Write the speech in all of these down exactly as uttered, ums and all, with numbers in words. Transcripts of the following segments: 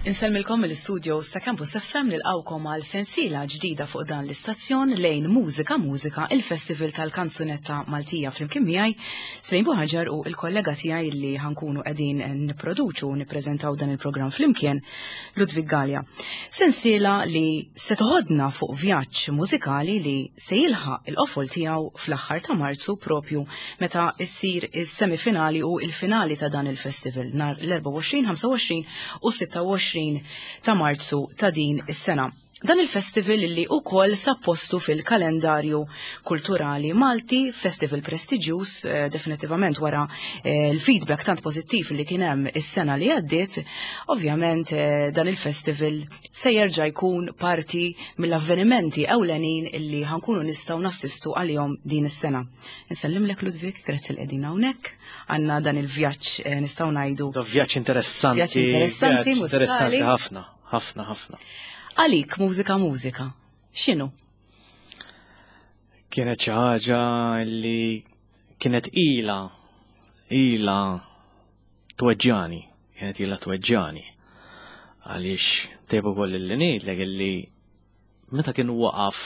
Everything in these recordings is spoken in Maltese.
Insellmilkom mill-studio ta' Campus F M, nilqgħukom għal sensiela ġdida fuq dan l-istazzjon lejn Mużika Mużika, il-Festival tal-Kanzunetta Maltija, flimkien miegħi Slejn Buħaġar u il-kollega tiegħi li ħa nkunu qegħdin nipproduċu u nippreżentaw dan il-programm flimkien, Ludwig Gallia. Sensiela li se toħodna fuq vjaġġ mużikali li se jilħaq il-qofol tiegħu fl-aħħar ta' Marzu, propju meta issir is-semifinali u il-finali ta' dan il-festival nhar l-erbgħa u għoxrin, ħamsa u għoxrin u sitta u għoxrin ta' Marzu ta' din is-sena. Dan il-festival li ukoll sab postu fil-kalendarju kulturali Malti, festival prestiġjuż eh, definitivament wara eh, l-feedback tant pożittiv li kien hemm is-sena li għaddiet, ovvjament eh, dan il-festival se jerġa' jkun parti mill-avvenimenti ewlenin illi ħa nkunu nistgħu nassistu għalihom din is-sena. Insellimlek, Ludwig, grazzi li qegħdin hawnhekk. Għandna dan il-vjaġġ eh, nistgħu ngħidu. Da vjaġġ interessanti. Vjaġġ interessanti, vjaġġ interessanti mużikali. Ħafna, ħafna, ħafna. Għalik Mużika Mużika. X'inhu? Kienet xi ħaġa li kienet ila, ila tweġġani, kienet ila tweġġani. Għaliex tajjeb ukoll li ngħidlek illi meta kien waqaf,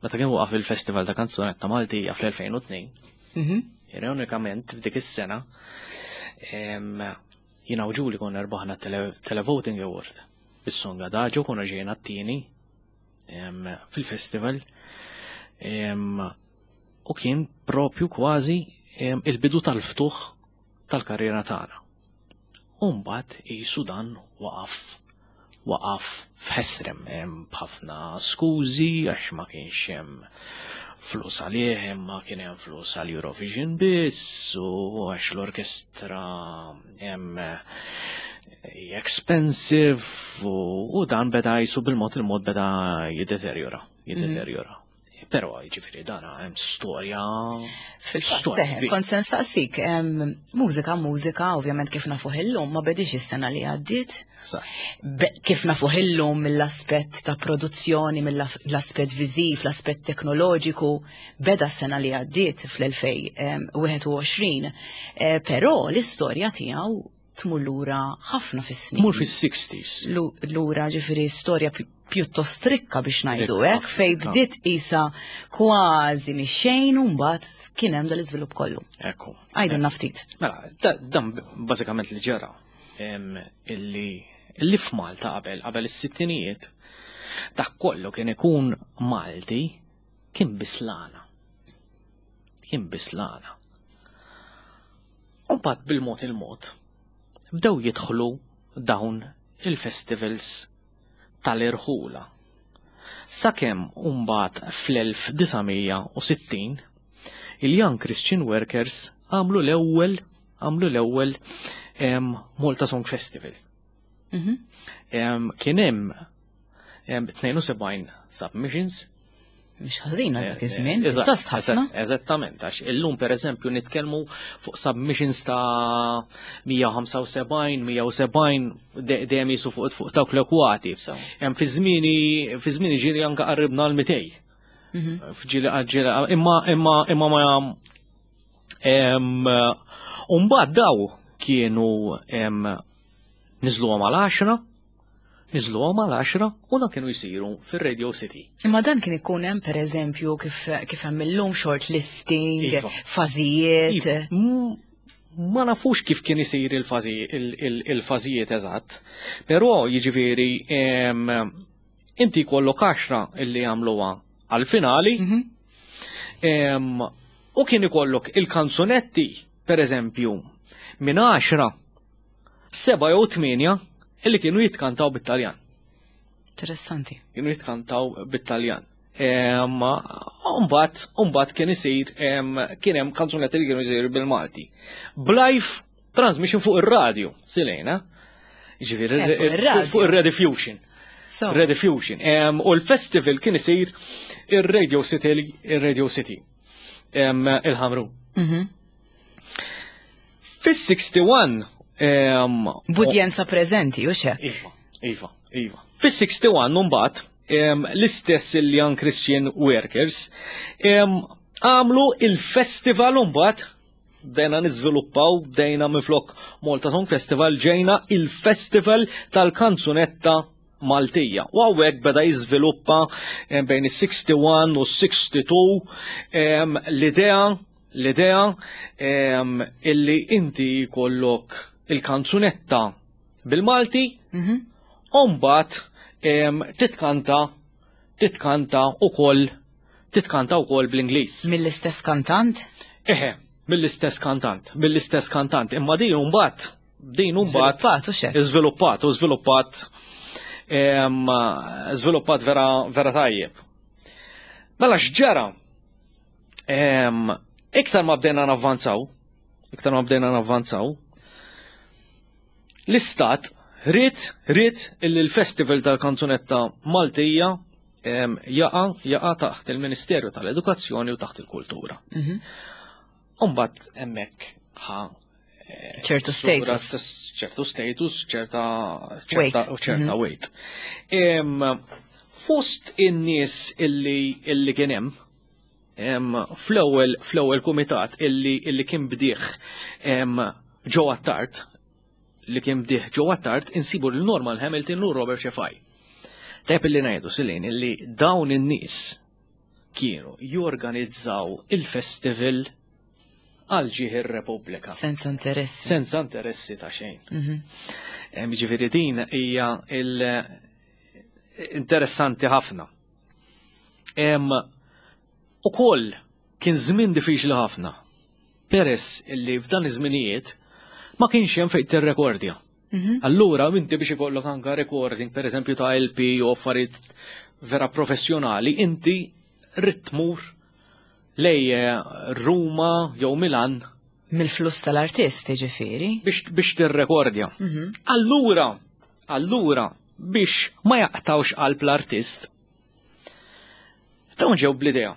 meta kien waqaf il-Festival ta' Kanzunetta Maltija fl-elfejn u tnejn, Mhm. ironikament f'dik is-sena, em, jiena u Ġuli konna rbaħna tele Televoting Award. Bis-song Adagio konna ġejna t-tieni em, fil-festival em, u kien propju kważi em, il-bidu tal-ftuħ tal-karriera tagħna. U mbagħad qisu dan waqaf waqaf f'ħesrem, hemm b'ħafna skużi għax ma kienx hemm flus għalih, imma kien hemm flus għal Eurovision biss u għax l-orkestra hemm expensive u, u dan beda qisu bil-mod il-mod beda jiddeteriora, jiddeteriora. Però jiġifieri dan hemm storja. Fil-fatt, storja eh, kbira. Kont se nsaqsik, em, Mużika Mużika, ovvjament kif nafuh illum, ma bedix is-sena li għaddiet. Sa. Be- Kif nafuh illum mill-aspett ta' produzzjoni, mill-aspett viżiv, l-aspett teknoloġiku, beda s-sena li għaddiet fl-elfejn u wieħed u għoxrin. Eh, Però l-istorja tiegħu tmur lura ħafna fis-snin. Mur fis-sixties. Lu- Lura ġifieri storja pi- pjuttost rikka biex ngħidu Rikka, hekk, fej rikka. bdiet isa kważi mix-xejn u mbagħad kien hemm dal-iżvilupp kollu. Ekku. Għidilna ftit. Mela, da- dan bażikament li ġara em, illi illi f'Malta qabel qabel is-sittinijiet dak kollu kien ikun Malti kien bislana. Kien bislana. U mbagħad bil-mod il-mod bdew jidħlu dawn il-festivals tal-irħula. Sakemm mbagħad fl-elf disa' mija u sittin il-Young Christian Workers għamlu l-ewwel għamlu l-ewwel em, Malta Song Festival. Mhm. Em, Kien hemm em, tnejn u sebgħin submissions. Mhux ħażin għal dak Eh, iż-żmien, eh, eżatt, pjuttost ħafna. eżatt, Eżattament, għax illum per eżempju nitkellmu fuq submissions ta' mija u ħamsa u sebgħin, mija u sebgħin, de- dejjem qisu fuq fuq dawk l-ekwati. So. Hemm fi żmieni fi żmieni ġieli anke qarribna l-mitejn. Mhm. Fġili ġili imma imma imma ma em Umbagħad daw kienu em niżluhom għal għaxra, niżluhom għal għaxra u dan kienu jsiru fir-Radio City. Imma dan kien ikun hemm, pereżempju, kif kif hemm illum short listing, Iva. fażijiet. Iva, m- Ma nafux kif kien isir il-fażi il- il- il-fażijiet eżatt, però jiġifieri em, inti jkollok għaxra illi jagħmluha għal-finali. Mhm. Em, u kien ikollok il-kanzunetti, per eżempju, minn għaxra, seba jew tmienja illi kienu jitkantaw bit-Taljan. Interessanti. Kienu jitkantaw bit-Taljan. Em, Umbagħad, umbagħad kien isir, em, kien hemm kanzunetti li kienu jisiru bil-Malti. B'live transmission fuq ir-radio, silejna. Ġifieri, Eh, fuq ir-radio. fuq ir-Rediffusion. So, Rediffusion. Em, U l-festival kien isir ir-Radio City, ir-Radio City. Em, Il-Ħamrun. mhm. Fis-sitta u sittin em, B'udjenza preżenti, u xek. Iva, iva, iva. Fis-sitta u sittin mbagħad em, l-istess il-Young Christian Workers em, għamlu il-festival mbagħad Bdejna niżviluppaw, bdejna minflok Malta Song Festival ġejna il-Festival tal-Kanzunetta Maltija. U hawnhekk beda jiżviluppa eh, bejn is-sixty-one u s-sixty-two em, l-idea l-idea em, illi inti jkollok il-kanzunetta bil-Malti Mhm. u mbagħad em, titkanta titkanta ukoll titkanta wkoll bl-Ingliż. Mill-istess kantant? Eħe, mill-istess kantant, mill-istess kantant. Imma din mbagħad din mbagħad Żviluppat u xek. Żviluppat, u żviluppat em, żviluppat vera vera tajjeb. Mela x'ġara? Em, Iktar ma bdejna navvanzaw, iktar ma bdejna navvanzaw, l-istat ried ried illi l-Festival tal-Kanzunetta Maltija em, jaqa jaqa taħt il-Ministeru tal-Edukazzjoni u taħt il-Kultura. Mhm. Umbat hemmhekk ħa ċertu sura status. s- ċertu status, ċerta ċerta Weight. ċerta weight. Em, Fost in-nies illi illi kien hemm em, fl-ewwel fl-ewwel kumitat illi illi kien bdieħ em, Joe Attard, li kien bdieħ Joe Attard, insibu lil Norman Hamilton u Robert Cefai. Tajb illi ngħidu, Silin, illi dawn in-nies kienu jorganizzaw il-festival għal ġieħ ir-Repubblika. Senza interessi. Senza interessi ta' xejn. Mhm. Em, Ġifieri din hija il interessanti ħafna. Em, Ukoll kien żmien diffiċli ħafna. Peress illi f'dan iż-żminijiet ma kienx hemm fejn tirrekordja. Mhm. Allura inti biex ikollok anka recording, per eżempju ta' L P u affarijiet vera professjonali, inti ridt tmur lej eh, Ruma jew Milan Mill-flus tal-artist, ġifieri. biex biex tirrekordja. Mhm. Allura, allura, biex ma jaqtawx qalb l-artist, dawn ġew bl-idea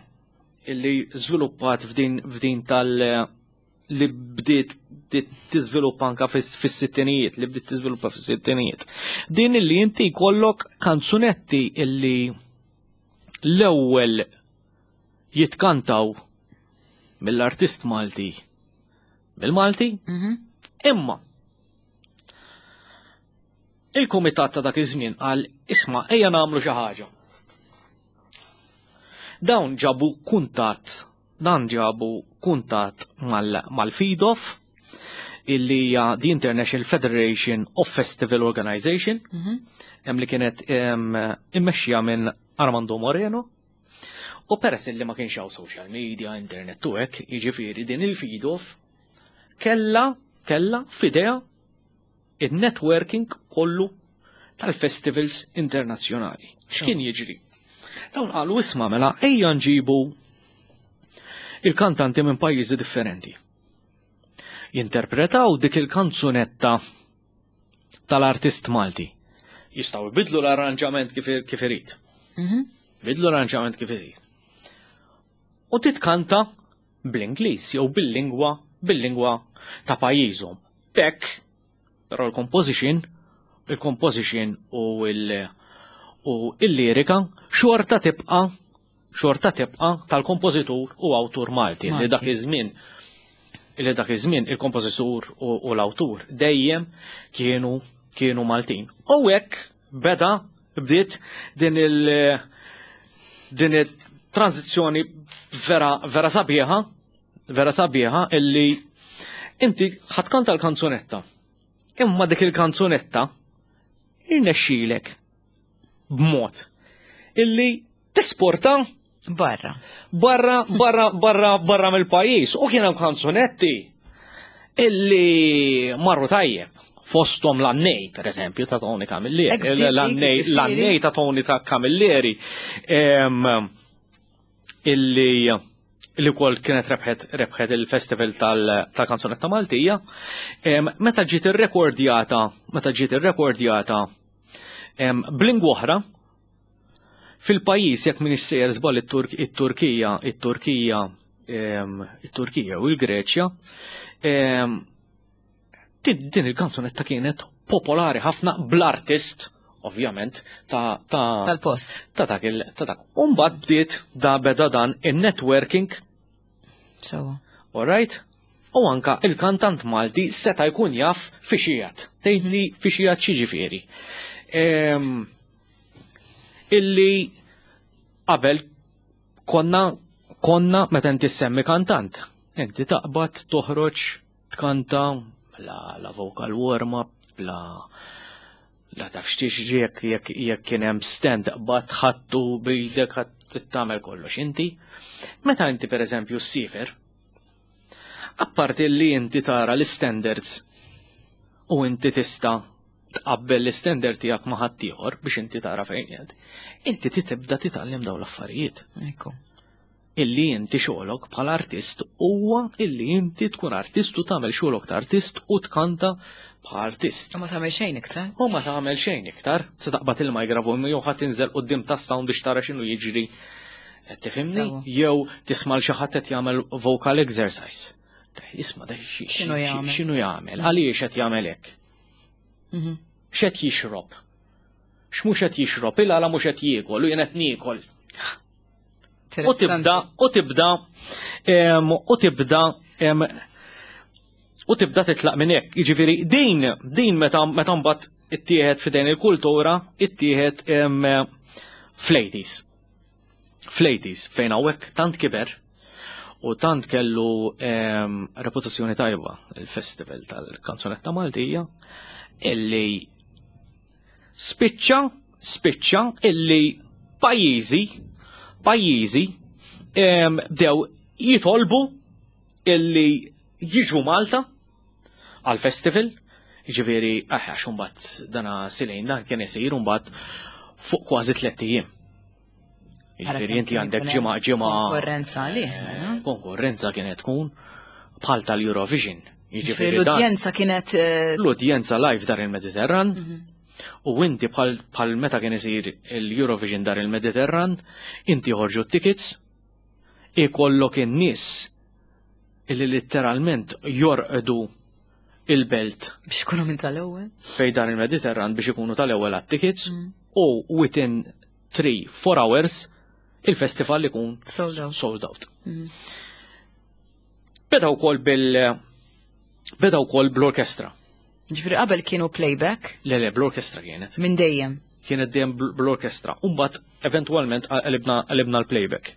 illi żviluppat f'din f'din tal li bdiet bdiet tiżviluppa anka fis- fis-sittinijiet, li bdiet tiżviluppa fis-sittinijiet. Din illi inti jkollok kanzunetti illi l-ewwel jitkantaw mill-artist Malti bil-Malti, Mhm. imma il-kumitat ta' dak iż-żmien qal, "Isma', ejja nagħmlu xi ħaġa." Dawn ġabu kuntatt, dan ġabu kuntatt mal- mal-FIDOF, illi hija the International Federation of Festival Organization, Mhm. hemm li kienet em, immexxija minn Armando Moreno. U peress illi ma kienx hawn social media, internet u hekk, jiġifieri din il-FIDOF kella kella f'idejha il-networking kollu tal-festivals internazzjonali. X'kien jiġri? Dawn qalu, "Isma' mela ejja nġibu il-kantanti minn pajjiżi differenti. Jinterpretaw dik il-kanzunetta tal-artist Malti. Jistgħu jbidlu l-arranġament kif, kif irid. Mhm. Bidlu l-arranġament kif irid. U titkanta bl-Ingliż jew bil-lingwa bil-lingwa ta' pajjiżhom. B'hekk, però l-composition, il-composition u il- u il-lirika xorta tibqa' xorta tibqa' tal-kompożitur u awtur Malti, li Malti. dak iż-żmien li dak iż-żmien il-kompożitur u, u l-awtur dejjem kienu kienu Maltin. U hekk beda bdiet din il din il-tranzizzjoni vera vera sabiħa vera sabiħa illi inti ħa tkanta l-kanzunetta. Imma dik il-kanzunetta irnexxilek b'mod illi tesporta Barra. barra barra barra barra mill-pajjiż, u kien hemm kanzunetti illi marru tajjeb, fostom l-Annej, per eżempju, ta' Tony Camilleri. Ek dik- L-Annej, dik ġifieri. L-Annej ta' Tony ta' Camilleri, em, illi illi wkoll kienet rebħet rebħet il-festival tal- tal-kanzunetta Maltija. Em, Meta ġiet irrekordjata, meta ġiet irrekordjata em, b'lingwa oħra, fil-pajjiż, jekk m'iniex sejjer żball, it-Turk- it-Turkija, it-Turkija, em, it-Turkija u l-Greċja, em, din din il-kanzunetta kienet popolari ħafna bl-artist, ovvjament, ta' ta' Tal-post. ta' dak il ta' dak. Umbagħad bdiet da beda dan in-networking, So. alright? U anka il-kantant Malti seta' jkun jaf fiex qiegħed. Tgħidli fiex qiegħed x'jiġifieri. Em, Illi qabel konna konna meta inti semmi kantant. Inti taqbad toħroġ tkanta la, la vocal warm-up, la la taf x'tiġri jekk jekk jekk kien hemm stand qbad ħattu b'idek ħadd tagħmel kollox inti. Meta inti pereżempju ssiefer, apparti li inti tara l-standards u inti tista' tqabbel l-standard tiegħek ma' ħaddieħor biex inti tara fejn qiegħed, inti tibda titgħallem dawn l-affarijiet Ekku. Illi inti xogħolok bħala artist huwa illi inti tkun artist u tagħmel xogħolok ta' artist u tkanta bħala artist. U ma tagħmel xejn iktar. U ma tagħmel xejn iktar, se taqbad il-mikrofon jew ħadd tinżel quddiem tas-sound biex tara x'inhu jiġri. Qed tifhimni? Sewa. Jew tisma' l xi ħadd qed jagħmel vocal exercise. Isma' da xi- X'inhu xi- jagħmel? X'inhu jagħmel? Għaliex qed jagħmel hekk? Mhm. X'qed jixrob? X'mhux qed jixrob? Il-għala mhux qed jiekol u jien qed niekol. U tibda, u tibda, em, u tibda, em, u tibda titlaq minn hekk. Jiġifieri din, din meta meta mbagħad ittieħed f'idejn il-kultura, ittieħed em, fl-eighties. Fl-eighties fejn hawnhekk tant kiber u tant kellu em, reputazzjoni tajba il-festival tal-kanzunetta Maltija illi spiċċa spiċċa illi pajjiżi pajjiżi em, bdew jitolbu illi jiġu Malta għal festival, ġifieri, aħ, għax imbagħad dana silejn dan kien isir mbagħad fuq kważi tlett ijiem. Ġifieri inti għandek ġimgħa ġimgħa Konkurrenza għalih, mela. Konkurrenza kienet tkun bħal tal-Eurovision. Ġifieri Jiġifieri dan l-udjenza kienet eh, l-udjenza live dar il-Mediterran mhm. u inti bħal bħal meta kien isir il-Eurovision dar il-Mediterran, inti joħorġu t-tickets, ikollok in-nies illi letteralment jorqdu il-belt biex ikunu minn tal-ewwel. fej dar il-Mediterran biex ikunu tal-ewwel għat-tickets Mm. u within three four hours il-festival ikun Sold out. Sold out. Mhm. Beda wkoll bil beda wkoll bl-orkestra. Ġifieri qabel kienu playback Le le, bl-orkestra kienet. minn dejjem. Kienet dejjem bl- bl-orkestra. Umbagħad eventwalment qalibna qalibna l-playback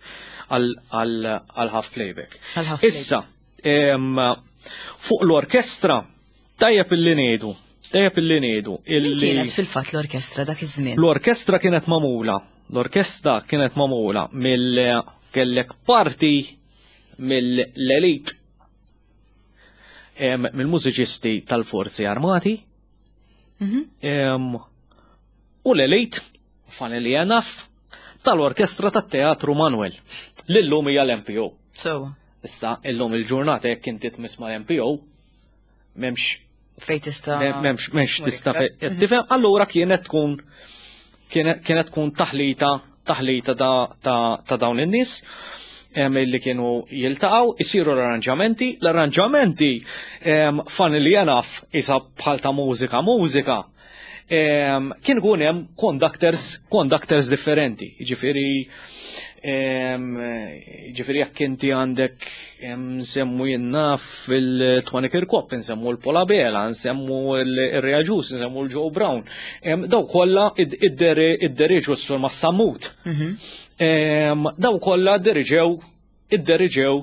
għal half playback. Għal half. Issa, em, fuq l-orkestra, tajjeb illi ngħidu, tajjeb illi ngħidu Min illi kienet fil-fatt l-orkestra dak iż-żmien? L-orkestra kienet magħmula, l-orkestra kienet magħmula mill kellek parti mill-elit em, mill-mużiċisti tal-Forzi Armati Mhm. em, u l-elit, funnily enough, tal-orkestra tat-Teatru Manuel. L-illum hija l-M P O. So, Issa, illum il-ġurnata jekk inti tmiss mal-M P O, m'hemmx fej tista' m'hemmx m'hemmx tista' iktar. fe- tifhem, allura kienet tkun kienet kienet tkun taħlita taħlita ta' ta' ta' dawn in-nies em, illi kienu jiltaqgħu, isiru l-arranġamenti, l-arranġamenti em, funnily enough isa bħal ta' mużika mużika em, kien ikun hemm conductors conductors differenti, jiġifieri em, ġifieri jekk inti għandek em, nsemmu jenna fil-Tony Kirkop, nsemmu l-Paul Abela, nsemmu il-Ray Agius, nsemmu l-Joe Brown. Em, Daw kollha id-deriġu s-sur Massamut. Mhm. Em, Daw kollha diriġew, id-deriġew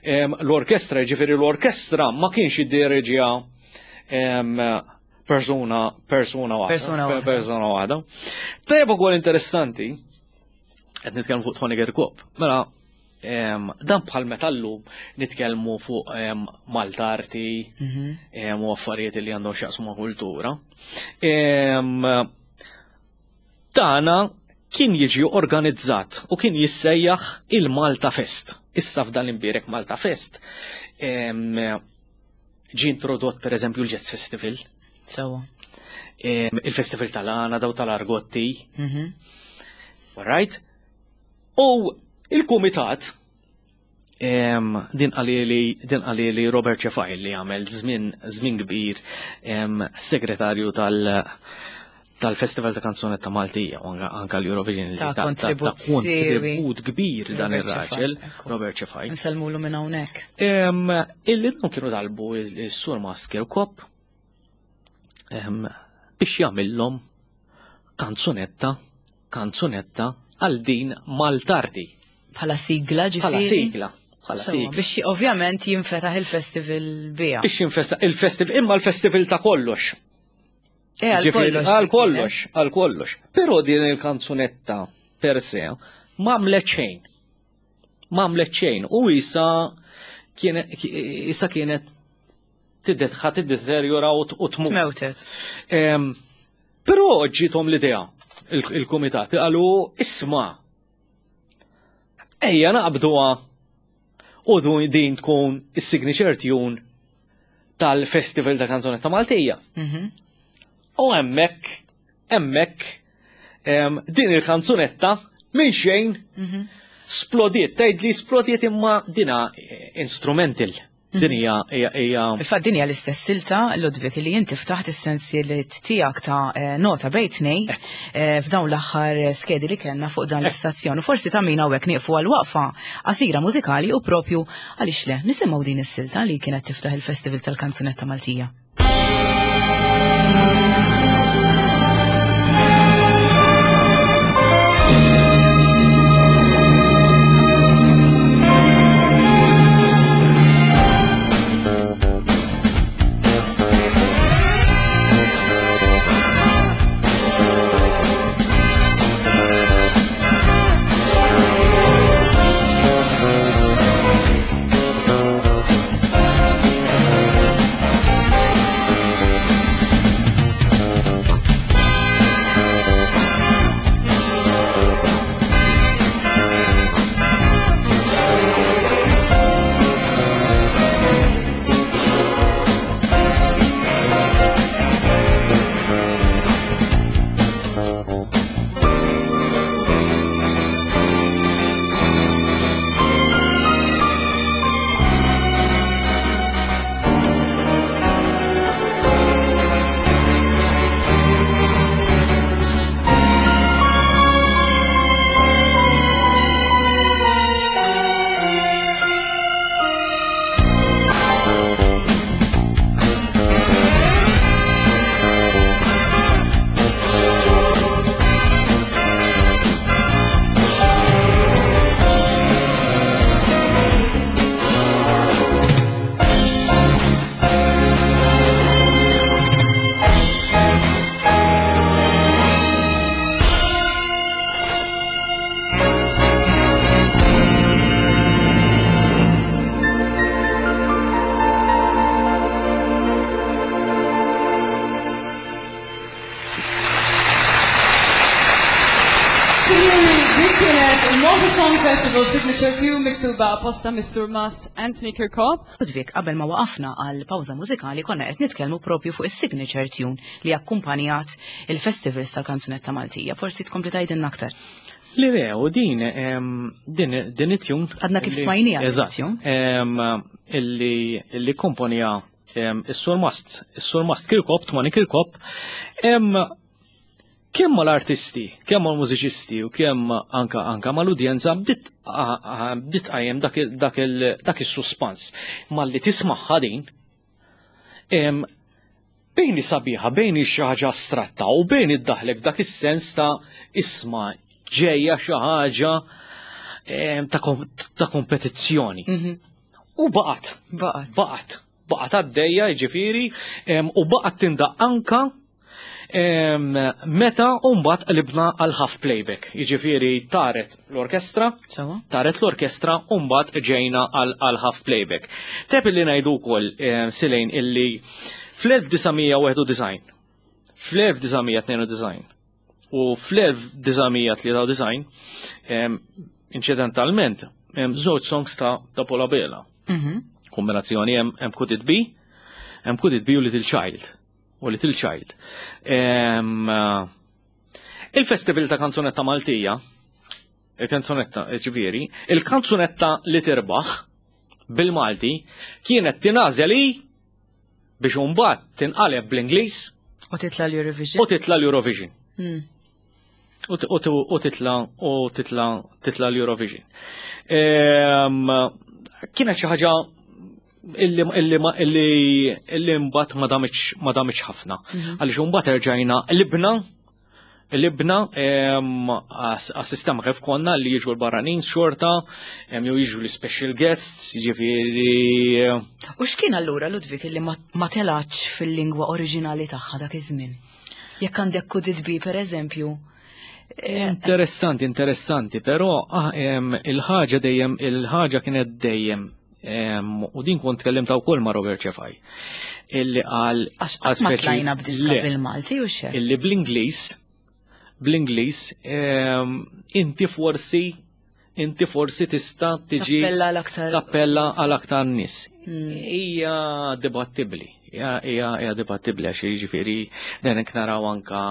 em, l-orkestra, ġifieri l-orkestra ma kienx id-diriġija em, persuna, persuna waħda. Persuna waħda. Persuna waħda. Tajjeb ukoll interessanti, qed nitkellmu fuq Tony Kirkop. Mela, em, dan bħal metallu nitkellmu fuq em, Malta Arti Mhm. em, u affarijiet li għandhom x'jaqsmu ma' kultura. Em, Dana kien jiġi organizzat u kien jissejjaħ il-Malta Fest. Issa f'dan l-imbierek Malta Fest em, ġi introdott per eżempju l-Jazz Festival, Sewa. em, il-Festival tal-Għana, daw tal-Argotti, Mhm. right? U il-kumitat em, din qalili din qalili Robert Cefai li għamel żmien żmien kbir em, segretarju tal tal-Festival ta' Kanzunetta Maltija u anka l-Eurovision ta' kontribut kbir dan ir-raġel, Robert Cefai. Nsellmulu minn hawnhekk. Illi dawn kienu talbu s-Sur Mast Kirkop biex jagħmilhom kanzunetta, kanzunetta għal din Maltarti. Bħala sigla ġifieri? Bħala sigla. Bħala sigla. Biex ovvjament jinfetaħ il-festival biha. Biex jinfetaħ il-festival, imma l-festival ta' kollox. Għal kollox. Għal kollox, għal kollox. Però din il-kanzunetta per se m'għamlet xejn. M'għamlet xejn. U issa issa kienet ħa tiddeterjora u tmut. Tmewtet. Però ġiethom l-idea il-kumitat qalu isma' ejja naqbduha u din tkun is-signature tune tal-Festival ta' Kanzunetta Maltija. U hemmhekk, hemmhekk, din il-kanzunetta minn xejn splodiet, tgħid li splodiet imma dina instrumental. Din hija hija Fil-fatt din hija l-istess silta, Ludwig, li inti ftaħt is-sensieliet tiegħek ta' nota bejn tnejn f'dawn l-aħħar skedi li kellna fuq dan l-istazzjon. U forsi ta' min hawnhekk nieqfu għal waqfa qasira mużikali u propju għaliex le nisimgħu din is-silta li kienet tiftaħ il-Festival tal-Kanzunetta Maltija. Festival Signature two miktuba apposta mis-Sur Mast Anthony Kirkop. Ludwig, qabel ma waqafna għal pawża mużikali konna qed nitkellmu propju fuq is-signature tune li akkumpanjat il-festivals tal-Kanzunetta Maltija. Forsi tkompli tgħidilna aktar. Li le, u din din din it-tune. Għadna kif smajnija it-tune. Illi illi komponija is-Sur Mast, is-Sur Mast Kirkop, Tmani Kirkop, kemm mal-artisti, kemm mal-mużiċisti u kemm anka anka mal-udjenza bdiet qajjem dak is-suspans. Malli tismagħha din, bejn sabiħa, bejn xi ħaġa astratta u bejn iddaħlek dak is-sens ta' isma' ġejja xi ħaġa ta' kompetizzjoni. U baqgħet. Baqgħet. Baqgħet. Baqgħet għaddejja, jiġifieri, u baqgħet tindaq anka meta mbagħad qlibna għal half playback. Jiġifieri taret l-orkestra, taret l-orkestra u mbagħad ġejna għal half playback. Teb illi ngħidu wkoll Silejn illi fl-elf disa' mija wieħed u disgħin, fl-elf disa' mija tnejn u disgħin u fl-elf disa' mija tlieta u disgħin, inċidentalment, żewġ songs ta' ta' Paul Abela. Kombinazzjoni hemm Could It Be, hemm Could It Be u Little Child. U Little Child. Il-Festival ta' Kanzunetta Maltija, il-kanzunetta ġifieri, il-kanzunetta li tirbaħ bil-Malti kienet tingħażel biex imbagħad tinqaleb bl-Ingliż U titla l-Eurovision. U titla l-Eurovision. Mm. U t- u t- u titla u titla titla l-Eurovision. Ehm, Kienet xi ħaġa illi illi ma- illi illi mbagħad ma damitx ma damitx ħafna. Għaliex imbagħad erġajna libna Libna ehm, għas-sistema kif konna li jiġu l-barranin xorta, ehm, jew jiġu l-special guests, jiġifieri U x'kien allura, Ludwig, illi ma ma telax fil-lingwa oriġinali tagħha dak iż-żmien? Jekk għandek Could It Be, per eżempju, Interessanti, interessanti, però ah, em, il-ħaġa dejjem, il-ħaġa kienet dejjem, em, u din kont tkellimt wkoll ma' Robert Cefai, illi qal għax qatt ma speċi- tlajna b'diska Le, bil-Malti u xe. Illi bl-Ingliż, bl-Ingliż, em, inti forsi, inti forsi tista' tiġi Tappella l-aktar. tappella għal aktar nies. Hija dibattibbli, hija hija hija dibattibbli għax jiġifieri dan hekk naraw anka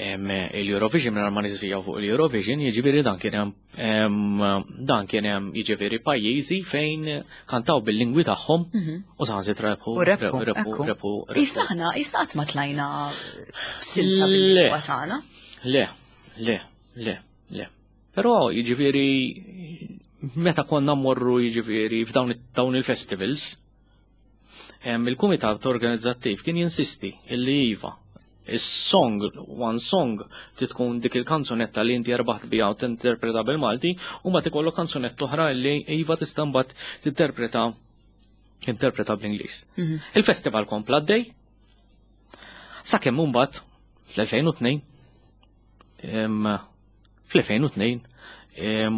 em, il-Eurovision minn ma niżvijaw fuq il-Eurovision, jiġifieri dan kien hemm em, dan kien hemm jiġifieri pajjiżi fejn kantaw bil-lingwi tagħhom u saħansitra rebħu U rebħu, rebħu ekku. rebħu Isna aħna, isna qatt ma tlajna b'silta Le. bil-lingwa tagħna. Le, le, le, le. Però jiġifieri meta konna mmorru jiġifieri f'dawn dawn il-festivals, em, il-kumitat organizzattiv kien jinsisti illi iva, is-song, one song, tkun dik il-kanzunetta li inti erbaħt biha u tinterpreta bil-Malti, u ma tikollok kanzunetta oħra li iva tista' mbagħad tinterpreta interpreta bl-Ingliż. Il-festival kompla għaddej, sakemm mbagħad fl-elfejn u tnejn em, fl-elfejn u tnejn em,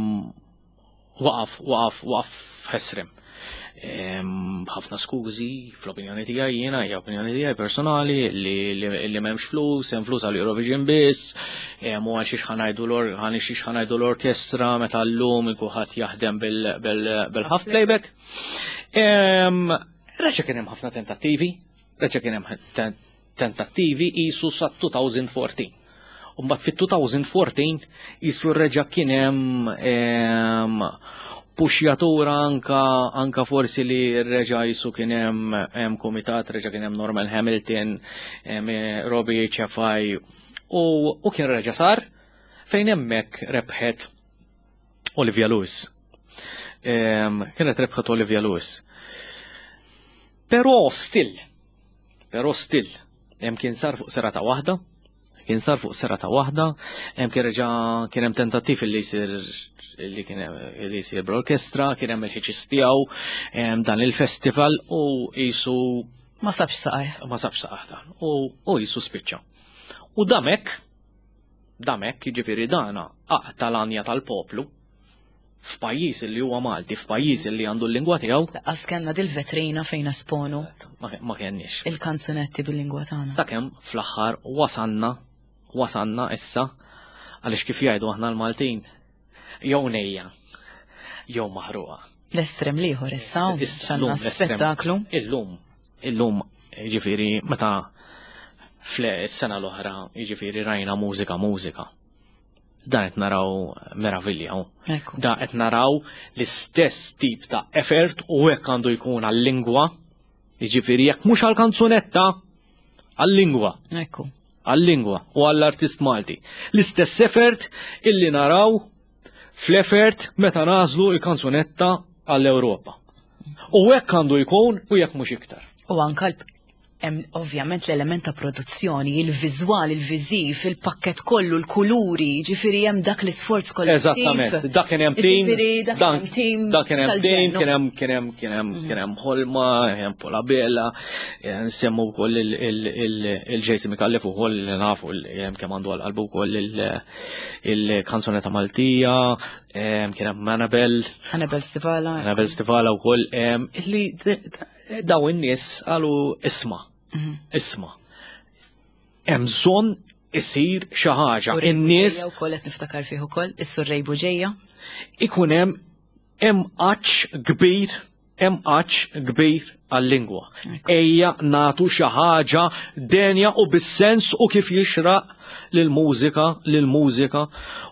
waqaf, waqaf, waqaf ħesrem. Em, Ħafna skużi, fl-opinjoni tiegħi jiena, hija opinjoni tiegħi personali, li, li, li m'hemmx flus, hemm flus għal Eurovision biss, em, u għal xiex ħa ngħidu l għal xiex ħa ngħidu l-orkestra meta llum il-kulħadd jaħdem bil-half playback. Em, Reġa' kien hemm ħafna tentattivi, reġa' kien hemm ten- tentattivi isu sa elfejn u erbatax. U mbagħad fit-elfejn u erbatax isu reġa' kien hemm em, puxjatura anka anka forsi li reġa' jisu kien hemm hemm komitat, reġa' kien hemm Norman Hamilton, hemm eh, Robbie H F I u, u kien reġa' sar fejn hemmhekk rebħet Olivia Lewis. Em, Kienet rebħet Olivia Lewis. Però still, però still, hemm kien sar fuq serata waħda, kien sar fuq serata waħda, hemm kien reġa' kien hemm tentattiv li jsir li kien hemm li jsir bl-orkestra, kien hemm il-ħiċis tiegħu, hemm dan il-festival u jisu Ma sabx saqaj. Ma sabx saqaj dan u u jisu spiċċa. U damek, damek, jiġifieri dana aqta l-anja tal-poplu f'pajjiż li huwa Malti, f'pajjiż li għandu l-lingwa tiegħu, Lanqas kellna dil-vetrina fejn esponu ma ma kenniex. il-kanzunetti bil-lingwa tagħna. Sakemm fl-aħħar wasanna, wasanna issa, għaliex kif jgħidu aħna l-Maltin, jew nejja, jew maħruqa. L-estrem l-ieħor issa, Issa, xanna llum l-estrem. spettaklu. Illum, illum, jiġifieri meta fl-sena l-oħra, jiġifieri rajna Mużika Mużika. Dan qed naraw meravilja. U. Ekku. Da qed naraw l-istess tip ta' effort u hekk għandu jkun għal-lingwa. Jiġifieri jekk mhux għall-kanzunetta, għal-lingwa, Ekku. għal-lingwa u għall-artist Malti. L-istess effort illi naraw fl-effort meta nażlu il-kanzunetta għall-Ewropa. U hekk għandu jkun u jekk mhux iktar. U anka l- hemm ovvjament l-element ta' produzzjoni, il-viżwal, il-viżiv, il-pakket kollu, l-kuluri, ġifieri hemm dak l-isforz kollettiv. Eżattament, dak kien hemm team, Ġifieri dak kien hemm team dak kien hemm team, tal-ġennu. kien hemm kien hemm kien hemm kien hemm Ħolma, kien hemm Paula Bella, eh, nsemmu wkoll il-Jason Micallef ukoll li nafu li hemm kemm għandu għal qalbu wkoll il- il-kanzunetta Maltija, em, kien hemm Annabel, Annabel Stivala. Annabel Stivala wkoll, em, illi d- d- daw in-nies qalu isma', isma'. Hemm bżonn isir xi ħaġa. In-nies U koll qed niftakar fih ukoll, is-Sur Ray Buġeja. Ikun hemm hemm għatx kbir, hemm għatx kbir għal-lingwa. Ejja natu xi ħaġa denja u bis-sens u kif jixraq lill-mużika, lill-mużika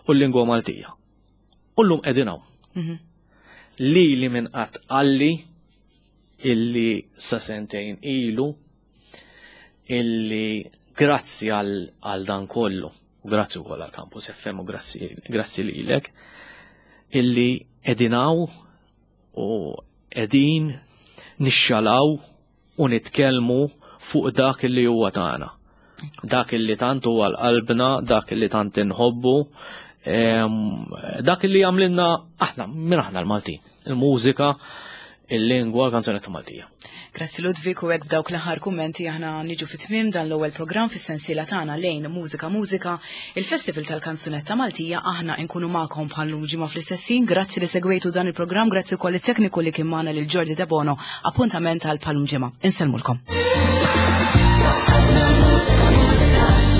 u l-lingwa Maltija. U llum qegħdin hawn. Li li minn qatt qalli illi sa sentejn ilu Illi grazzi għal dan kollu, u grazzi wkoll għal Campus F M u grazzi grazzi lilek, illi qegħdin hawn u qegħdin nixxalaw u nitkellmu fuq dak illi huwa tagħna. Dak illi tant huwa l-qalbna, dak illi tant inħobbu, dak illi għamlilna aħna, minn aħna l-Maltin. Il-mużika, il-lingwa, l-kanzunetta Maltija. Grazzi, Ludwig, u hekk b'dawk l-aħħar kummenti aħna niġu fit-tmiem dan l-ewwel programm fis-sensiela tagħna Lejn Mużika Mużika, il-Festival tal-Kanzunetta Maltija. Aħna nkunu magħkom bħal ġimgħa fl-istess ħin. Grazzi li segwejtu dan il-programm, grazzi wkoll it-tekniku li kien magħna, lil Jordi Debono. Appuntament għal bħal ġimgħa. Insellmulkom. Mużika, mużika.